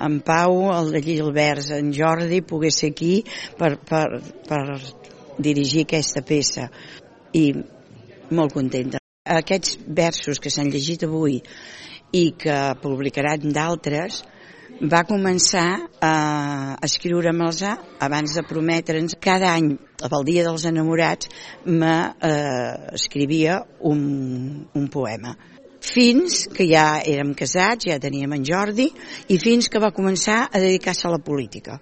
en Pau, el de Llilberts, en Jordi, pogués ser aquí per dirigir aquesta peça. I molt contenta. Aquests versos que s'han llegit avui i que publicaran d'altres, va començar a escriure-me'ls abans de prometre'ns. Cada any, pel Dia dels Enamorats, m'escrivia un poema. Fins que ja érem casats, ja teníem en Jordi, i fins que va començar a dedicar-se a la política.